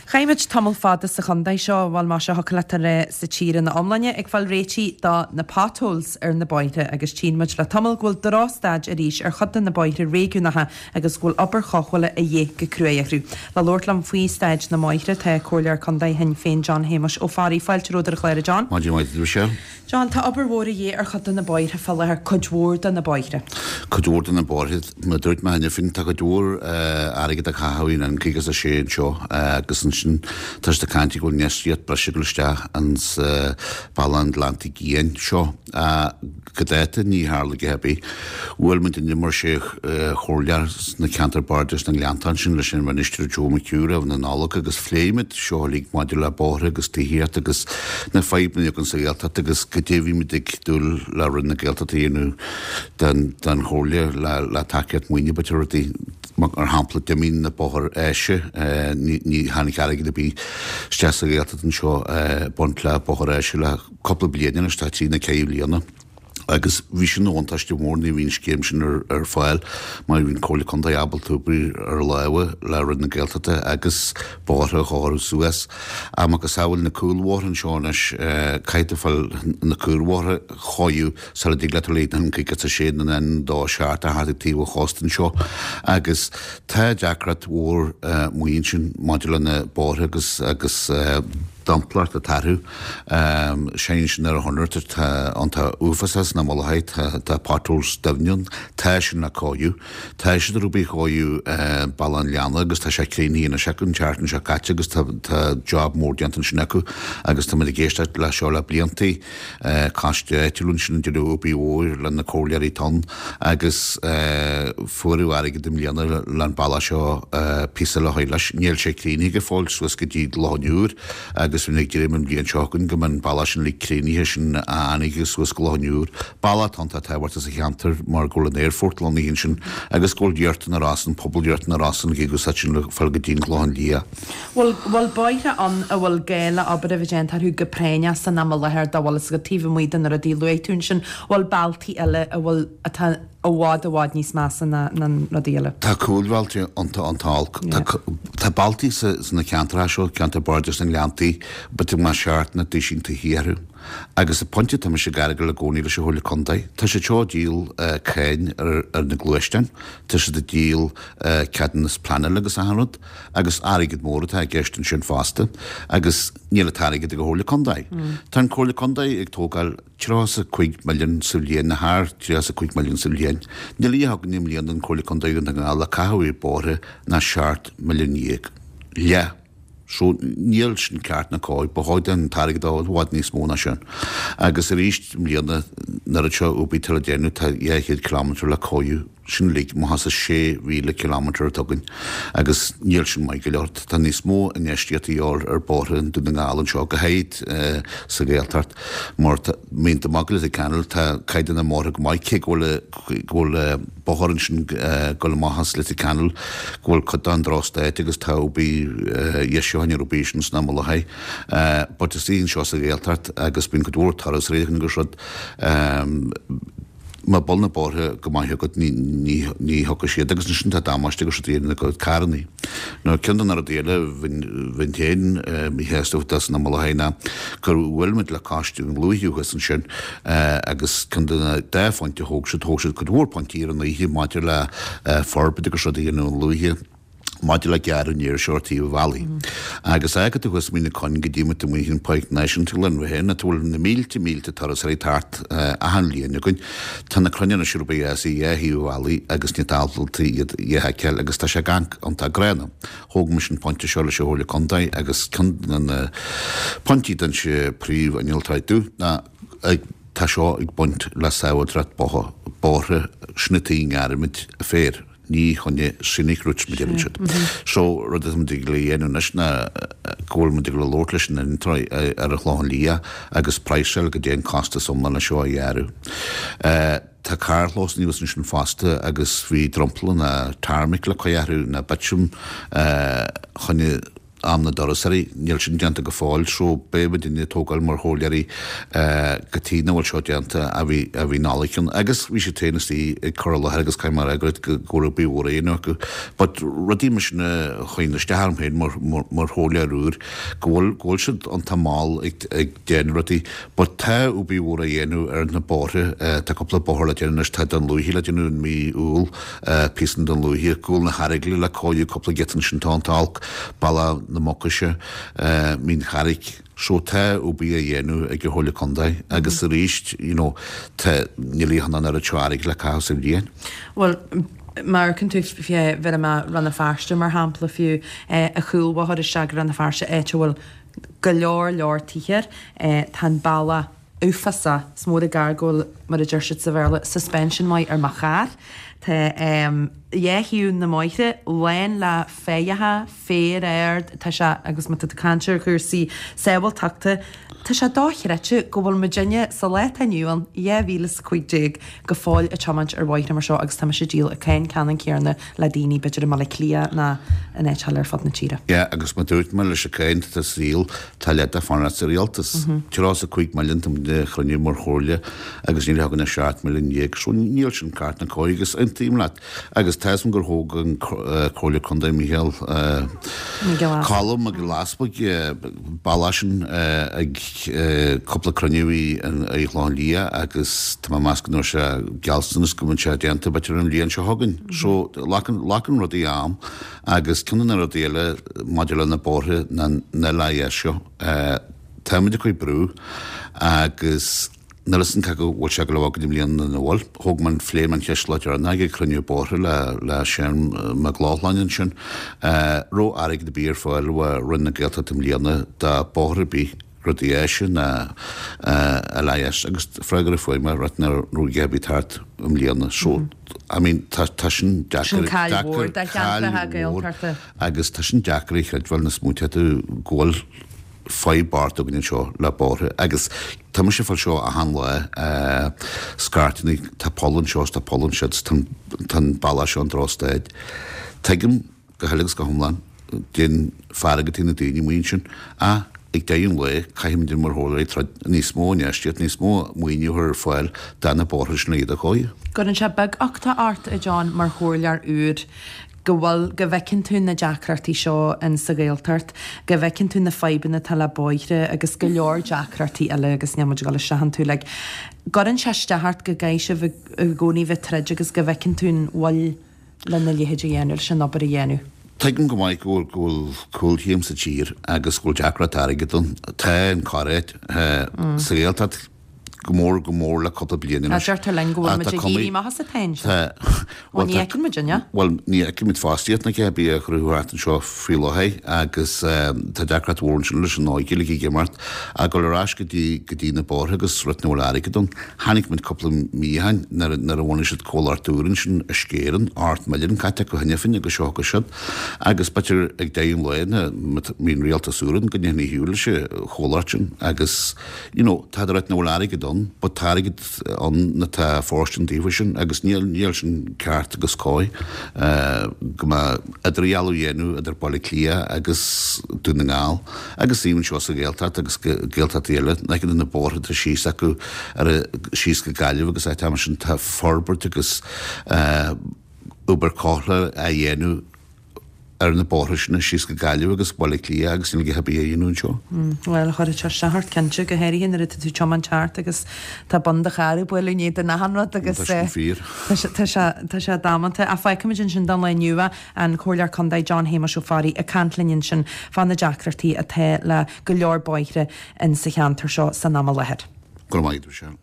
Chaith muid tamall fada sa chontae seo, bhuel más ea thiocfadh leat a rá sa tír ina iomláine, ag fáil réitigh do na potholes ar na bóithre agus tchíonn muid le tamall go bhfuil drochstaid arís ar chuid de na bóithre réigiúnacha agus go bhfuil obair chothabhála a dhíth go cruaidh orthu. Le labhairt liom faoi staid na mbóithre tá Comhairleoir Contae Shinn Féin John Shéamuis Ó Fearraigh. Fáilte romhat ar an chlár a John. Maidin mhaith duit Michelle. John, tá obair mhór a dhíth ar chuid de na bóithre fá láthair, cuid mhór de na bóithre. Cuid mhór de na bóithre, mar a dúirt mé cheana féin, tá cuid mhór airgead á chaitheamh in N56 anseo agus ansin tá siad ag caint go bhfuil infheistíocht breise ag dul isteach ins Bealach an Ghleanntaigh Fhiáin seo. Go dáta ní tharla a dhath ar bith. Bhuail muid inniu mar sé chomhairleoir sna ceantair bardais na nGleanntach ansin leis an Mhinistir Joe McHugh roimh na Nollag agus phléigh muid seo uilig maidir le bóithre agus tithíocht agus na fadhbanna againn sa Ghaeltacht agus goidé a bhí muid ag dúil le Roinn na Gaeltachta a dhéanamh don Chomhairle le tacaíocht maoine b'fhéidir rudaí mar shampla d'imigh na bóthair áise ní tháinig airgead ar bith isteach sa Ghaeltacht anseo baint le bóthar áise le cúpla bliain anois tá trí nó ceithre bliana. Agus bhí sin ina bhuntáiste mhór nuair a bhí an scéim sin ar fáil mar bhí an Comhairle Contae ábalta obair ar lámha le Roinn na Gaeltachta agus bóithre a chóiriú suas. Ach macasamhail na cúlbhóithre anseo anois, caithfidh tú fáil na cúlbhóithre a chóiriú sula dtig leat dul an N56 nó an N27 a theacht ag taobh an chósta anseo. Agus tá deacracht mhór amuigh ansin maidir le na bóithre agus agus dromchlaíocht atá orthu. Seinneann sin ar a chonair, tá iontach uafásach sna Mullachaí, tá potholes doimhne ann, tá sin le cóiriú. Tá siad ar obair chóiriú Bealach an Leanna agus tá sé críochnaithe anois acu an tseachtain seo caite agus tá job mór déanta ansin acu agus tá muid ag éisteacht le seo le bliantaí. Coiste áitiúil ansin ag déanamh obair mhór le na comhairleoirí atá ann agus fuaireadh airgead i mbliana le an bealach seo píosa eile a chur leis. Níl sé críochnaithe go fóill suas go dtí Loch an Iúir agus bhí ag dréim an bhliain seo chugainn go mbeidh an bealach sin uilig críochnaithe sin a fhánaigh suas go Loch an Iúir. Bealach atá iontach tábhachtach sa cheantar mar go bhfuil an aerfort lonnaithe ansin agus go bhfuil Iarthar na Rosann, pobal Iarthar na Rosann ag úsáid sin le fáil go dtí an Clochán Liath. Bhfuil, bhfuil bóithre ann a bhfuil gá le obair a bheith déanta orthu go práinneach san am i láthair dá bhfuil fhios agat taobh amuigh de na rudaí a luaigh tú ansin, bhfuil bealtaí eile a bhfuil, atá i bhfad, i bhfad níos measa ná na rudaí eile? Tá cúlbhealtaí iontach, iontach olc. Tá, tá bealtaí sa, sna ceantracha seo, ceantar Bardais na nGleanntaí, b'fhéidir go mbeadh seacht nó duisín tithí orthu. Agus an pointe atá mise ag argáil i gcónaí leis an Chomhairle Contae, tá siad seo ag díol cáin ar, ar na gluaisteáin, tá siad ag díol ceadúnas pleanála agus achan rud. Agus airgead mór atá i gceist ansin fosta, agus níl an t-airgead ag an Chomhairle Contae. Tá an Comhairle Contae ag tógáil 35 milliún sa bhliain, nó thar 35 milliún sa bhliain. Níl a dhath againn i mbliana don Chomhairle Contae Dhún na nGall le caitheamh ar bóithre ná 17 milliún. Leath. So, níl sin ceart ná cóir. Ba chóir an t-airgead a fháil i bhfad níos mó ná sin. Agus arís i mbliana, an oiread seo obair atá le déanamh, tá 200 kilometre le cóiriú. Sin uilig amach as an 6,000 kilometre atá againn agus níl sin maith go leor. Tá níos mó infheistíocht a dhíobháil ar bóithre i nDún na nGall anseo, go háirid sa Ghaeltacht, mar tá, bíonn tú amach go Leitir Ceanainn, tá caighdeán na mbóithre go maith, cé go bhfuil, go bhfuil bóthar ansin ag dul amach as Leitir Ceanainn, go bhfuil cuid den drochstaid agus tá obair dheisiúcháin ar obair sin san am i láthair. But istigh anseo sa Ghaeltacht agus bíonn cuid mhór turasóirí agus rud, Má bhfuil na bóithre go maith agat ní thiocfaidh siad agus ansin tá damáiste agus rudaí ar na carrannaí. Nó ceann de na rudaí eile bheinn féin míshásta faoi san am i láthair ná gur bhuail muid le coiste na Lúiche thuas ansin agus ceann de na dá phointe a thóg siad, thóg siad cuid mhór pointí ar an oíche maidir le forbairt agus rudaí a dhéanamh i Lúiche. maidir le gearradh an fhéir seo ar taobh an bhealaigh. Agus fágfaidh tú thuas Mín na Coinn go dtí muid amuigh in Páirc Náisiúnta Ghleann Bheatha, ina bhfuil na mílte mílte turasóirí ag teacht achan bhliain againn. Tá na crainn anois ar bith as ar dhá thaobh an bhealaigh agus níl tú ábalta iad a fheiceáil agus tá sé ag amharc iontach gránna. Thóg mise an pointe seo leis an Chomhairle Contae agus ceann de na pointí a d'inis príomh-innealtóir domh ná ag tá seo ag baint le sábháilteacht bóithre, sin an tuige a ngearraimid féar. Ní choinne scenic routes mar a deireann siad. So, rud atá muid ag dul a dhéanamh anois ná go bhfuil muid ag dul a labhairt leis an innealtóir ar an Chlochán Liath agus praghsáil goidé an costas iomlán leis seo a ghearradh. Tá carrchlós anuas ansin fosta agus bhí dromchla ná tarmac le cur orthu ná bitumen choinne. Am na dturasóirí, níl sin déanta go fóill so beidh muidinne ag tógáil mar chomhairleoirí go tí nach bhfuil seo déanta a bhí a bhí Nollaig ann agus bhí siad féin istigh ag cur i láthair agus caithfidh mé a rá go raibh go raibh obair mhór á dhéanamh acu but rudaí mar sin a chuireann isteach orm féin mar mar chomhairleoir úr go bhfuil go bhfuil siad iontach mall ag ag déanamh rudaí but tá obair mhór á dhéanamh ar na bóithre tá cúpla bóthar le déanamh anois tá Dún Lúiche le déanamh in mí Iúil píosa Dún Lúiche, Cúl na hEaragaile le cóiriú cúpla giota ansin tá an t-olc, Bealach na Mucaise, Mín Charraig. So tá obair á dhéanamh ag an Chomhairle Contae agus arís you know tá níl aon an oiread seo airgid le caitheamh sa bhliain. Bhuel má amharcann tú fé bheith i Rann na Feirste mar shampla fiú, an chúlbhóthar isteach go Rann na Feirste áit a bhfuil go leor leor tithe air, tá an bealach uafásach. Is mór an gar go bhfuil, mar a deir siad sa Bhéarla, suspension maith ar mo charr. Tá dhá thaobh na mbóithre lán le féitheacha, féar ard, tá sé, agus má tá tú ag caint ar chúrsaí sábháilteachta, tá sé dochreidte go bhfuil muidinne sa lá atá inniu ann, 2015, go fóill ag tiomáint ar bhóithre mar seo agus tá mise ag díol an cáin ceannann céanna le daoine, b'fhéidir i mBaile Átha Cliath ná in áit eile ar fud na tíre. Yeah, agus mar a dúirt mé leis an cáin atá sa saol, Tá leath de fanacht sa rialtas. 35 milliún tá muid a chruinniú mar chomhairle agus níl againn ach 17 milliún so níl sin ceart ná cóir agus aontaím leat. Agus tá 'fhios a'm gur thóg an Comhairleoir Contae Micheál Colm Mac Giolla Easbuig bealach sin ag cúpla cruinniú i gClochán Liath agus tá mé ag meas go ndúirt sé gealltanas go mbeadh sé déanta b'fhéidir an bhliain seo chugainn. So glacann rudaí am. Agus ceann de na rudaí eile maidir le na bóithre ná na LIS seo, táimid ag cur brú agus níl 'fhios a'm cé go bhfuil sé ag dul a bheith againn i mbliana nó nach bhfuil. Thóg mé an, phléigh mé an cheist lá deireanach ag cruinniú bóithre le le Seán Mac Lochlainn ansin. Raibh airgead ar bith ar fáil ó Roinn na Gaeltachta i mbliana do bóthar ar bith. rudaí áise ná LIS agus freagra a fuair mé right nach raibh a dhath ar bith thart i mbliana so I mean tá tá sin deacair Sin caill mhór do cheantracha Gaeltachta. agus tá sin deacair a chreidbheáil nuair a smaointíonn tú go bhfuil fadhb bocht againn anseo le bóithre agus tá mise ag fáil seo achan lá scairteanna tá poll anseo is tá poll ansiúd is tá tá an bealach seo in drochstaid. Tuigim go huile agus go hiomlán, den fearg atá na daoine amuigh ansin. Ach ag deireadh an lae, caithfimid mar chomhairleoirí troid níos mó infheistíocht, níos mó maoiniú a chur ar fáil do na bóithre sin le iad a chóiriú. Cuireann sé beaguchtach ort, a John, mar chomhairleoir úr, go bhfuil, go bhfeiceann tú na deacrachtaí seo in sa Ghaeltacht, go bhfeiceann tú na fadhbanna atá le bóithre agus go leor deacrachtaí eile agus níl muid ag dul isteach iontu. Like, gcuireann sé isteach ort go gcaithfidh sibh i gcónaí bheith troid agus go bhfeiceann tú an mhoill lena leithéid a dhéanamh, leis an obair a dhéanamh. Tuigim go maith go bhfuil cúlchéim sa tír agus go bhfuil deacracht airgid ann. Tá an corr-áit sa Ghaeltacht go mór go mór le cúpla bliain anois. Deirtear linn go bhfuil muid ag éirí amach as an tsáinn seo. Bhuel, ní fheiceann muid, an ea? Bhuel, ní fheiceann muid fostaíocht ná a dhath ar bith á chruthú thart anseo faoi láthair agus tá deacracht mhór ansin leis an óige uilig ag imeacht. Ag dul ar ais go dtí go dtí na bóithre agus rud nach bhfuil airgead ann. Chonaic muid cúpla mí ó shin nuair a bhunaigh siad comhlacht úr ansin i Sceirn, 8 milliún caite acu cheana féin agus seo agus siúd. Agus b'fhéidir ag deireadh an lae nuair a bhíonn rialtas úr ann go ndéanfaí a shiúl leis an chomhlacht sin agus you know tá ráit nach bhfuil airgead ann but tá airgead ann atá fóirstean daofa sin agus níl níl sin ceart agus cóir go mbeadh idirdhealú á dhéanamh idir Baile Átha Cliath agus Dún na nGall. Agus even anseo sa Ghaeltacht agus Gaeltachtaí eile, nach iad na bóithre atá síos acu ar síos go Gaillimh agus áit mar sin, tá forbairt agus obair cothabhála á dhéanamh ar na bóithre sin síos go Gaillimh agus Baile Átha Cliath agus níl a dhath ar bith á dhéanamh anseo. Bhuel, chuirfeadh sé isteach ort cinnte, go háirithe nuair atá tú ag tiomáint thart agus tá bun do chairr ag bualadh i ndiaidh den achan rud agus Tá sin fíor. tá sé tá sé damanta. Ach fágfaimid ansin don lá inniu é. An Comhairleoir Contae John Shéamuis Ó Fearraigh ag caint linn ansin fá na deacrachtaí atá le go leor bóithre in sa cheantar seo san am i láthair. Go raibh maith agat, Michelle.